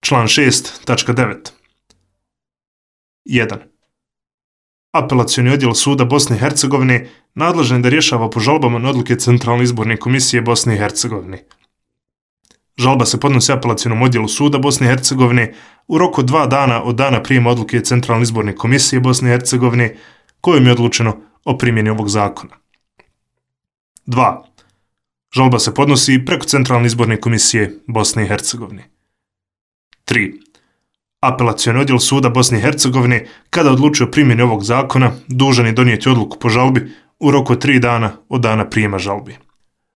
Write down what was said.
Član 6, tačka 9. 1. Apelacioni odjel Suda Bosne i Hercegovine nadležan je da rješava po žalbama na odluke Centralne izborne komisije Bosne i Hercegovine. Žalba se podnosi apelacionom odjelu Suda Bosne i Hercegovine u roku od 2 dana od dana prijema odluke Centralne izborne komisije Bosne i Hercegovine kojom je odlučeno o primjeni ovog zakona. 2. Žalba se podnosi preko Centralne izborne komisije Bosne i Hercegovine. 3. Apelacioni odjel Suda Bosne i Hercegovine, kada odlučuje o primjeni ovog zakona, dužan je donijeti odluku po žalbi u roku od 3 dana od dana prijema žalbi.